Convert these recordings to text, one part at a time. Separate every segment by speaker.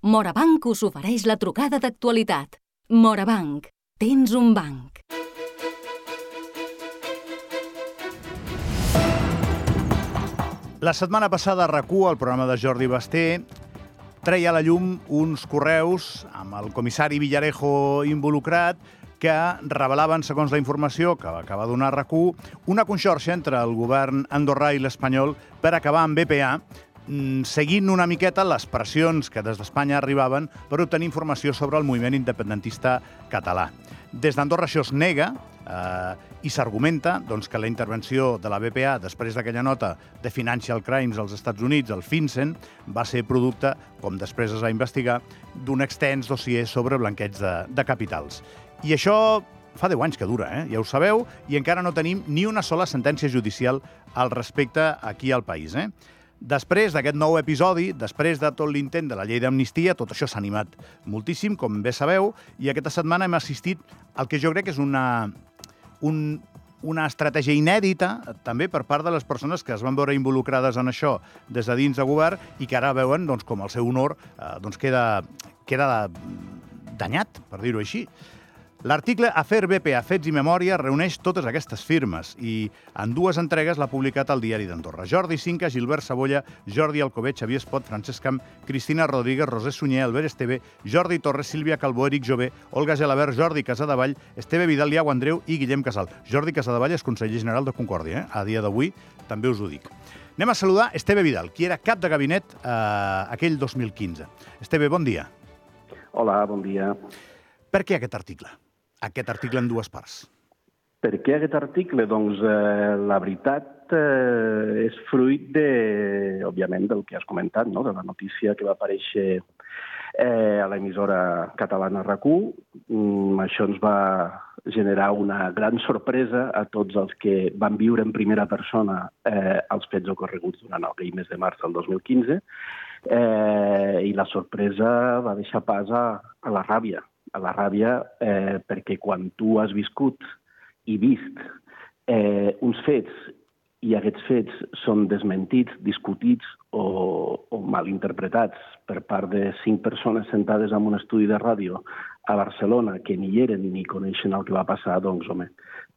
Speaker 1: Morabanc us ofereix la trucada d'actualitat. Morabanc, tens un banc.
Speaker 2: La setmana passada a RAC1, el programa de Jordi Basté, treia a la llum uns correus amb el comissari Villarejo involucrat que revelaven, segons la informació que acaba de donar RAC1, una conxorxa entre el govern andorrà i l'espanyol per acabar amb BPA, seguint una miqueta les pressions que des d'Espanya arribaven per obtenir informació sobre el moviment independentista català. Des d'Andorra això es nega i s'argumenta que la intervenció de la BPA després d'aquella nota de Financial Crimes als Estats Units, el FinCEN, va ser producte, com després es va investigar, d'un extens dossier sobre blanqueig de capitals. I això fa 10 anys que dura, ja ho sabeu, i encara no tenim ni una sola sentència judicial al respecte aquí al país. Després d'aquest nou episodi, després de tot l'intent de la llei d'amnistia, tot això s'ha animat moltíssim, com bé sabeu, i aquesta setmana hem assistit al que jo crec que és una estratègia inèdita, també per part de les persones que es van veure involucrades en això des de dins de govern i que ara veuen com el seu honor queda danyat, per dir-ho així. L'article Afer BPA, Fets i Memòria reuneix totes aquestes firmes i en 2 entregues l'ha publicat al Diari d'Andorra. Jordi Cinca, Gilbert Sabolla, Jordi Alcover, Xavier Espot, Francesc Camp, Cristina Rodríguez, Roser Sunyer, Albert Esteve, Jordi Torres, Sílvia Calbó, Eric Jové, Olga Gelabert, Jordi Casadevall, Esteve Vidal, Iago Andreu i Guillem Casal. Jordi Casadevall és conseller general de Concòrdia, a dia d'avui també us ho dic. Anem a saludar Esteve Vidal, qui era cap de gabinet aquell 2015. Esteve, bon dia.
Speaker 3: Hola, bon dia.
Speaker 2: Per què aquest article? Aquest article en 2 parts.
Speaker 3: Per què aquest article? Doncs la veritat és fruit, òbviament, del que has comentat, no? De la notícia que va aparèixer a l'emissora catalana RAC1. Això ens va generar una gran sorpresa a tots els que van viure en primera persona els fets ocorreguts durant el mes de març del 2015 i la sorpresa va deixar pas a la ràbia. A la ràbia perquè quan tu has viscut i vist uns fets i aquests fets són desmentits, discutits o malinterpretats per part de 5 persones sentades en un estudi de ràdio a Barcelona que ni hi eren ni coneixen el que va passar, doncs, home,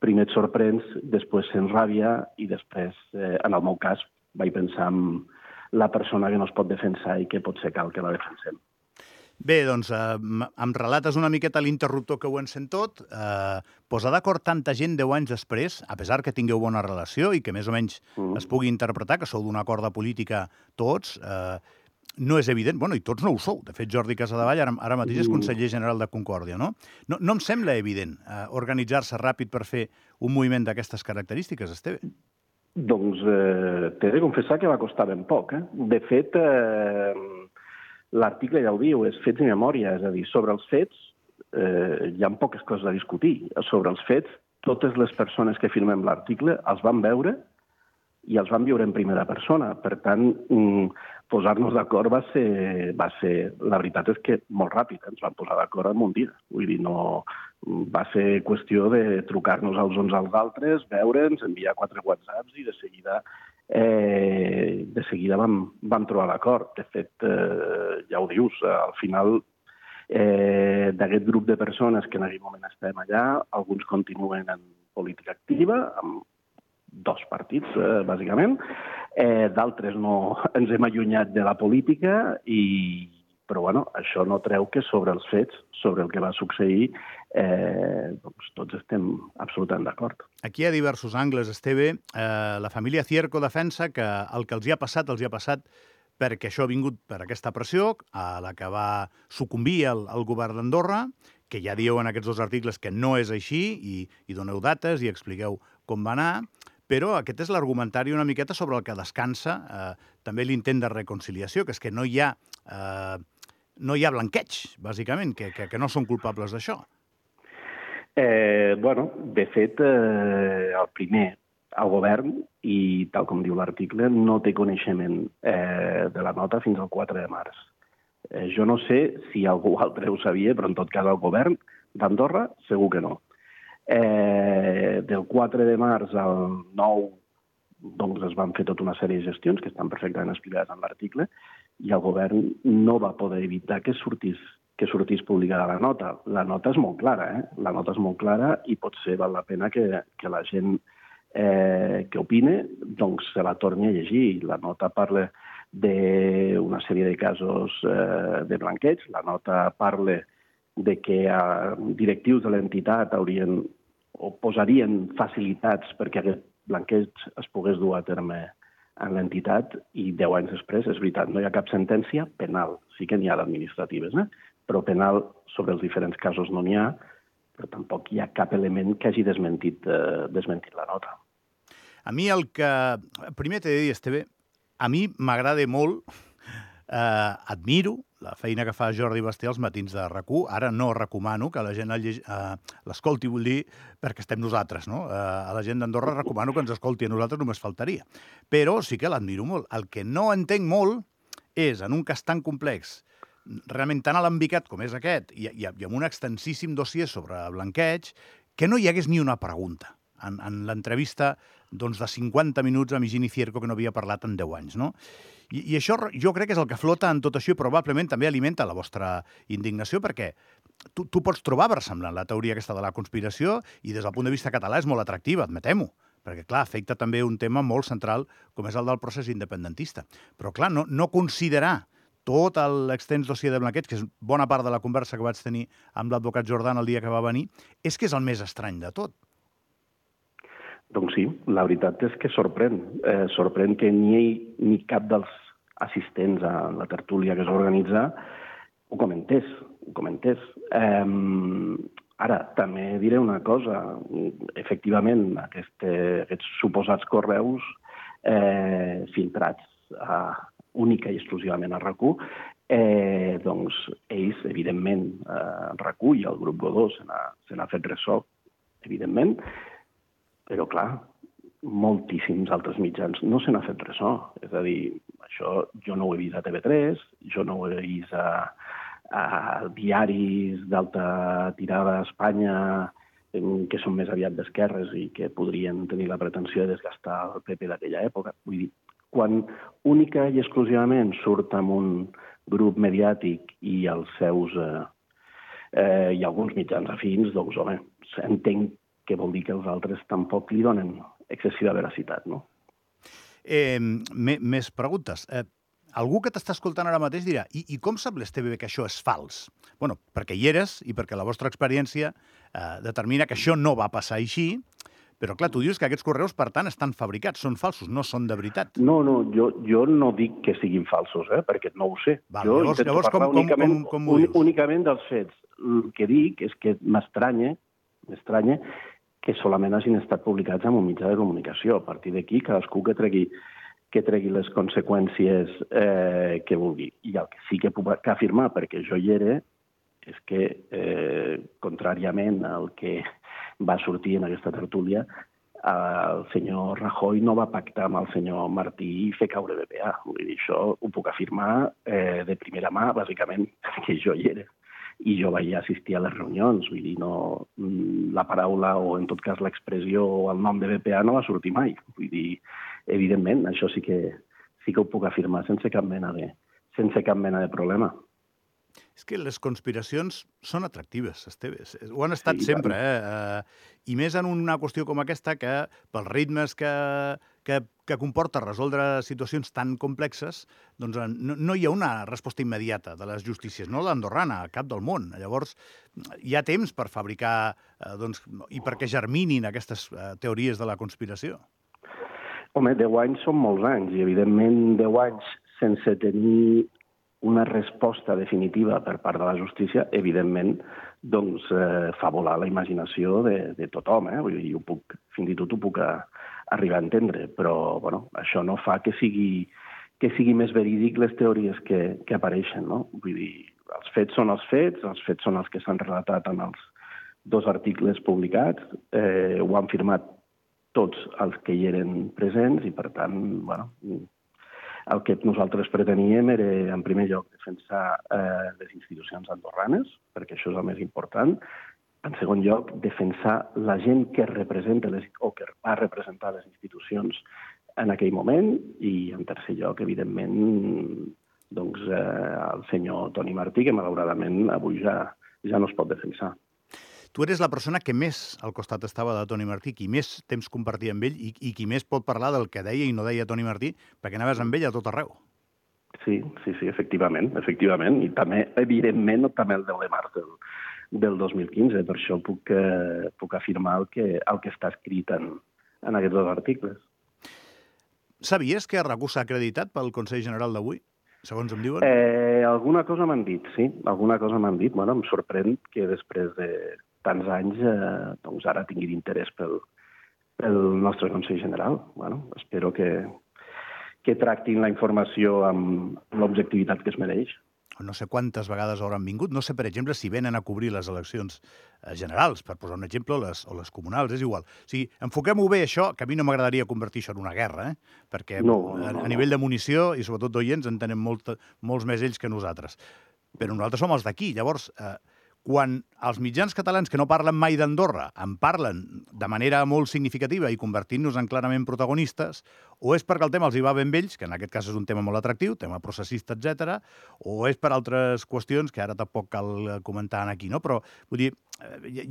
Speaker 3: primer et sorprens, després sents ràbia i després, en el meu cas, vaig pensar en la persona que no es pot defensar i que potser cal que la defensem.
Speaker 2: Bé, doncs, em relates una miqueta l'interruptor que ho encén tot. Posar d'acord tanta gent 10 anys després, a pesar que tingueu bona relació i que més o menys es pugui interpretar que sou d'una corda política tots, no és evident. Bueno, i tots no ho sou. De fet, Jordi Casadevall ara mateix és conseller general de Concòrdia, no? No em sembla evident organitzar-se ràpid per fer un moviment d'aquestes característiques, Esteve.
Speaker 3: Doncs t'he de confessar que va costar ben poc. De fet, l'article ja ho diu, és fets i memòria, és a dir, sobre els fets hi ha poques coses a discutir. Sobre els fets, totes les persones que firmem l'article els van veure i els van viure en primera persona. Per tant, posar-nos d'acord va ser... La veritat és que molt ràpid, ens vam posar d'acord en un dia. Vull dir, no... Va ser qüestió de trucar-nos els uns als altres, veure'ns, enviar 4 whatsapps i de seguida vam trobar l'acord. De fet, ja ho dius, al final d'aquest grup de persones que en aquell moment estem allà, alguns continuen en política activa, amb 2 partits, bàsicament. D'altres no ens hem allunyat de la política però, bueno, això no treu que sobre els fets, sobre el que va succeir, doncs tots estem absolutament d'acord.
Speaker 2: Aquí hi ha diversos angles, Esteve. La família Cierco defensa que el que els hi ha passat perquè això ha vingut per aquesta pressió a la que va sucumbir el govern d'Andorra, que ja dieu en aquests 2 articles que no és així i doneu dates i expliqueu com va anar, però aquest és l'argumentari una miqueta sobre el que descansa també l'intent de reconciliació, que és que no hi ha blanqueig, bàsicament, que no són culpables d'això.
Speaker 3: De fet, el primer, el govern, i tal com diu l'article, no té coneixement de la nota fins al 4 de març. Jo no sé si algú altre ho sabia, però en tot cas el govern d'Andorra segur que no. Del 4 de març al 9 doncs es van fer tota una sèrie de gestions que estan perfectament explicades en l'article i el govern no va poder evitar que sortís publicada la nota. La nota és molt clara, La nota és molt clara i potser val la pena que la gent que opine doncs se la torni a llegir. La nota parla d'una sèrie de casos de blanqueig, la nota parla de que directius de l'entitat haurien o posarien facilitats perquè aquest blanqueig es pogués dur a terme en l'entitat i 10 anys després, és veritat, no hi ha cap sentència penal. Sí que n'hi ha d'administratives, però penal sobre els diferents casos no n'hi ha, però tampoc hi ha cap element que hagi desmentit la nota.
Speaker 2: A mi el que... Primer t'he de dir, Esteve, a mi m'agrada molt, admiro la feina que fa Jordi Basté als matins de RAC1. Ara no recomano que la gent l'escolti, vull dir, perquè estem nosaltres, no? A la gent d'Andorra recomano que ens escolti a nosaltres, només faltaria. Però sí que l'admiro molt. El que no entenc molt és, en un cas tan complex, realment tan alambicat com és aquest, i amb un extensíssim dossier sobre blanqueig, que no hi hagués ni una pregunta en l'entrevista de 50 minuts amb Higini Cierco, que no havia parlat en 10 anys, no? I això jo crec que és el que flota en tot això i probablement també alimenta la vostra indignació, perquè tu pots trobar versemblant la teoria aquesta de la conspiració i des del punt de vista català és molt atractiva, admetem-ho, perquè, clar, afecta també un tema molt central com és el del procés independentista. Però, clar, no considerar tot l'extens dossier de blanqueig, que és bona part de la conversa que vaig tenir amb l'advocat Jordan el dia que va venir, és que és el més estrany de tot.
Speaker 3: Doncs sí, la veritat és que sorprèn. Sorprèn que ni cap dels assistents a la tertúlia que es va organitzar ho comentés. Ara, també diré una cosa. Efectivament, aquests suposats correus filtrats única i exclusivament a RAC1, doncs ells, evidentment, RAC1 i el grup Godó se n'ha fet ressò, evidentment, però, clar, moltíssims altres mitjans no se n'ha fet ressò. És a dir, això jo no ho he vist a TV3, jo no ho he vist a diaris d'alta tirada a Espanya que són més aviat d'esquerres i que podrien tenir la pretensió de desgastar el PP d'aquella època. Vull dir, quan única i exclusivament surt amb un grup mediàtic i els seus i alguns mitjans afins, doncs, home, entenc que vol dir que els altres tampoc li donen excessiva veracitat, no?
Speaker 2: Més preguntes. Algú que t'està escoltant ara mateix dirà i com sap l'Esteve que això és fals? Bueno, perquè hi eres i perquè la vostra experiència determina que això no va passar així, però clar, tu dius que aquests correus, per tant, estan fabricats, són falsos, no són de veritat.
Speaker 3: No, jo no dic que siguin falsos, perquè no ho sé.
Speaker 2: Llavors, com ho dius?
Speaker 3: Únicament dels fets. El que dic és que m'estranya que solament hagin estat publicats en un mitjà de comunicació. A partir d'aquí, cadascú que tregui les conseqüències que vulgui. I el que sí que puc afirmar, perquè jo hi era, és que, contràriament al que va sortir en aquesta tertúlia, el senyor Rajoy no va pactar amb el senyor Martí i fer caure BPA. Vull dir, això ho puc afirmar de primera mà, bàsicament, perquè jo hi era. I jo vaig assistir a les reunions, vull dir, la paraula o, en tot cas, l'expressió o el nom de BPA no va sortir mai. Vull dir, evidentment, això sí que ho puc afirmar sense cap mena de problema.
Speaker 2: És que les conspiracions són atractives, Esteve. Ho han estat sempre, I més en una qüestió com aquesta que, pels ritmes que comporta resoldre situacions tan complexes, doncs no hi ha una resposta immediata de les justícies, no l'andorrana, a cap del món. Llavors, hi ha temps per fabricar i perquè germinin aquestes teories de la conspiració.
Speaker 3: Home, 10 anys són molts anys, i evidentment 10 anys sense tenir una resposta definitiva per part de la justícia, evidentment, doncs, fa volar la imaginació de tothom. Vull dir, fins i tot ho puc arribar a entendre, però bueno, això no fa que sigui més verídic les teories que apareixen, no? Vull dir, els fets són els són els que s'han relatat en els 2 articles publicats, ho han firmat tots els que hi eren presents i, per tant, bueno, el que nosaltres preteníem era, en primer lloc, defensar les institucions andorranes, perquè això és el més important. En segon lloc, defensar la gent que representa o que va representar les institucions en aquell moment. I, en tercer lloc, evidentment, el senyor Toni Martí, que malauradament avui ja no es pot defensar.
Speaker 2: Tu eres la persona que més al costat estava de Toni Martí, qui més temps compartia amb ell i qui més pot parlar del que deia i no deia Toni Martí, perquè anaves amb ell a tot arreu.
Speaker 3: Sí, efectivament. I també, evidentment, també el 10 de març del 2015. Per això puc afirmar el que està escrit en aquests dos articles.
Speaker 2: Sabies que RAC1 s'ha acreditat pel Consell General d'avui, segons em diuen?
Speaker 3: Alguna cosa m'han dit, sí. Alguna cosa m'han dit. Bueno, em sorprèn que després de tants anys doncs ara tingui d'interès pel nostre Consell General. Bueno, espero que tractin la informació amb l'objectivitat que es mereix.
Speaker 2: No sé quantes vegades hauran vingut. No sé, per exemple, si venen a cobrir les eleccions generals, per posar un exemple, o les comunals, és igual. O sigui, enfoquem-ho bé, això, que a mi no m'agradaria convertir això en una guerra, perquè a nivell de munició, i sobretot d'oients, en tenen molts més ells que nosaltres. Però nosaltres som els d'aquí. Llavors, quan els mitjans catalans que no parlen mai d'Andorra en parlen de manera molt significativa i convertint-nos en clarament protagonistes, o és perquè el tema els hi va ben vells, que en aquest cas és un tema molt atractiu, tema processista, etc., o és per altres qüestions que ara tampoc cal comentar aquí, no? Però, vull dir,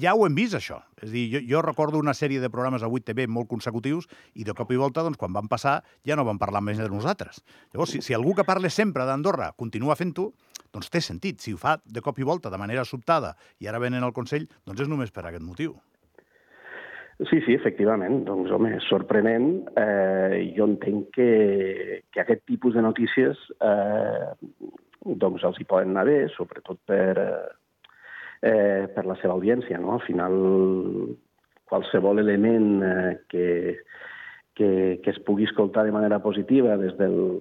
Speaker 2: ja ho hem vist, això. És a dir, jo recordo una sèrie de programes a 8TV molt consecutius i de cop i volta, doncs, quan van passar, ja no van parlar més de nosaltres. Llavors, si algú que parla sempre d'Andorra continua fent-ho, doncs té sentit. Si ho fa de cop i volta, de manera sobtada, i ara venen al Consell, doncs és només per aquest motiu.
Speaker 3: Sí, efectivament. Doncs, home, és sorprenent. Jo entenc que aquest tipus de notícies doncs els hi poden anar bé, sobretot per la seva audiència, no? Al final, qualsevol element que es pugui escoltar de manera positiva des dels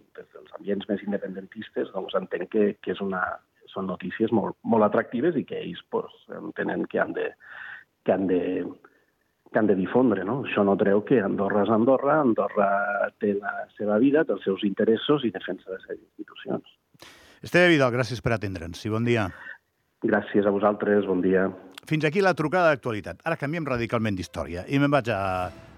Speaker 3: ambients més independentistes, doncs entenc que són notícies molt atractives i que ells entenen que han de difondre, no? Això no treu que Andorra és Andorra, Andorra té la seva vida, té els seus interessos i defensa les seves institucions.
Speaker 2: Esteve Vidal, gràcies per atendre'ns i bon dia.
Speaker 3: Gràcies a vosaltres, bon dia.
Speaker 2: Fins aquí la trucada d'actualitat. Ara canviem radicalment d'història i me'n vaig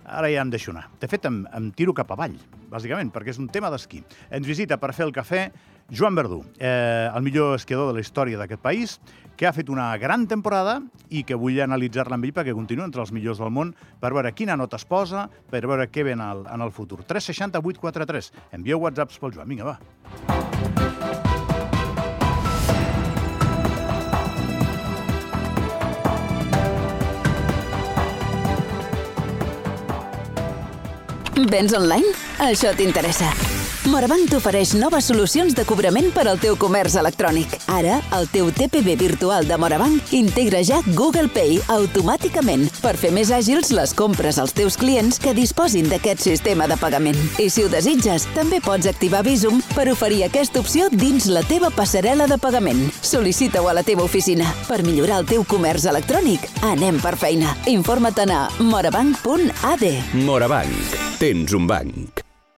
Speaker 2: Ara ja em deixo anar. De fet, em tiro cap avall, bàsicament, perquè és un tema d'esquí. Ens visita per fer el cafè Joan Verdú, el millor esquiador de la història d'aquest país, que ha fet una gran temporada i que vull analitzar-la amb ell perquè continua entre els millors del món per veure quina nota es posa, per veure què ve en el futur. 360 843. Envieu whatsapps pel Joan. Vinga, va.
Speaker 4: Vens online? Això t'interessa. Morabanc t'ofereix noves solucions de cobrament per al teu comerç electrònic. Ara, el teu TPV virtual de Morabanc integra ja Google Pay automàticament per fer més àgils les compres als teus clients que disposin d'aquest sistema de pagament. I si ho desitges, també pots activar Bizum per oferir aquesta opció dins la teva passarel·la de pagament. Sol·licita-ho a la teva oficina. Per millorar el teu comerç electrònic, anem per feina. Informa't a morabanc.ad.
Speaker 5: Morabanc. Tens un banc.